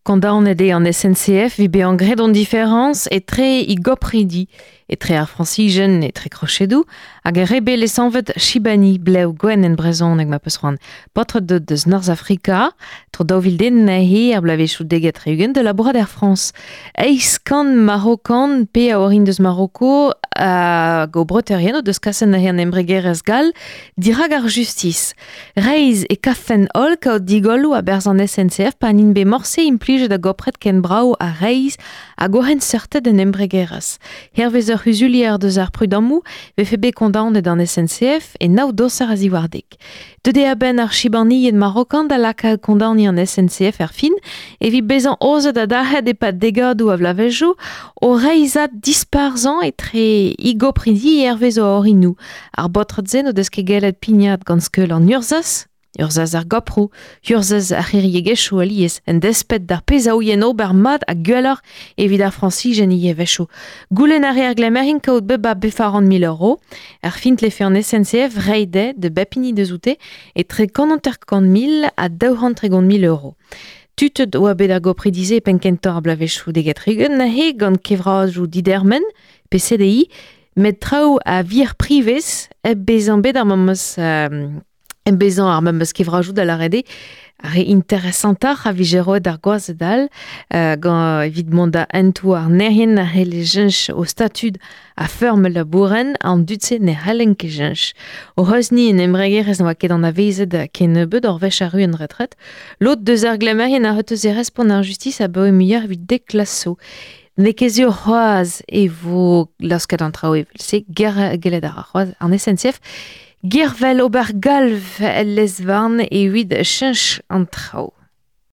Kondaonet eo an SNCF evit bezañ graet an diferañs etre he gopridi, etre ar Frañsijen etre krochedoù hag ar re bet lesanvet Chibani, blev gwenn en brezhoneg ma peus c'hoant. Paotred deuet deus Norzhafrika, tro 2000 den anezhe er bloavezhioù 70 da labourat er Frañs. Eizh kant Marokan pe a orin deus Maroko hag o breutaerien o deus kaset anezhe an embregerezh gall dirak ar justis. Reizh e kavfen holl kaout digolloù a-berzh an SNCF pa n'int bet morse implijet a-gopred ken brav ha reizh hag o c'henseurted en embregerezh. Hervez ur c'huzulier deus ar prudammoù 'vefe bet kondaonet an SNCF e nav doser a-ziwar dek. Deuet eo a-benn ar chibanilhed marokan da lakaat kondaoniñ an SNCF er fin evit bezañ aozet ha dalc'het e-pad degadoù a vloavezhioù o reizhad disparzhañ etre he gopridi hervez o orinoù. Ar baotred-se n'o deus ket gellet pignat gant skeul an urzhaz, urzhaz ar goproù, urzhaz ar c'hiriegezhioù alies, en desped d'ar pezh a ouient ober mat ha gwelloc'h evit ar Frañsijen ivez a-wechoù. Goulenn a reer glemmerin kaout bep a bevaran mil euro. Er fin tlefe an SNCF reiñ dezhe da bep hini deus oute etre 150 mil ha 230 mil euro. Tutet oa bet ar gopridi-se e penn-kentañ ar bloavezhioù deget-tregont neuze gant kevradoù didermen, pe CDI, met traoù a wir privez hep bezañ bet ar memes hep bezañ ar memes kevrajoù da lâret eo ar re interesantoc'h a vije roet d'ar gwazed all gant evit mont da hentoù ar nerien a c'helle cheñch o statud a feurm labourenn an dud-se ne c'hallent ket cheñch. O c'hozhni en embregerezh ne oa ket anavezet kennebeut ur wech arru en retret. Lod deus ar glemmerien a reteus e respont ar justis abaoe muioc'h evit dek klas zo. N'eo ket sur c'hoazh e vo laosket an traoù evel-se, gellet a ra c'hoazh an SNCF gervel ober galv el lez-varn evit cheñch an traoù.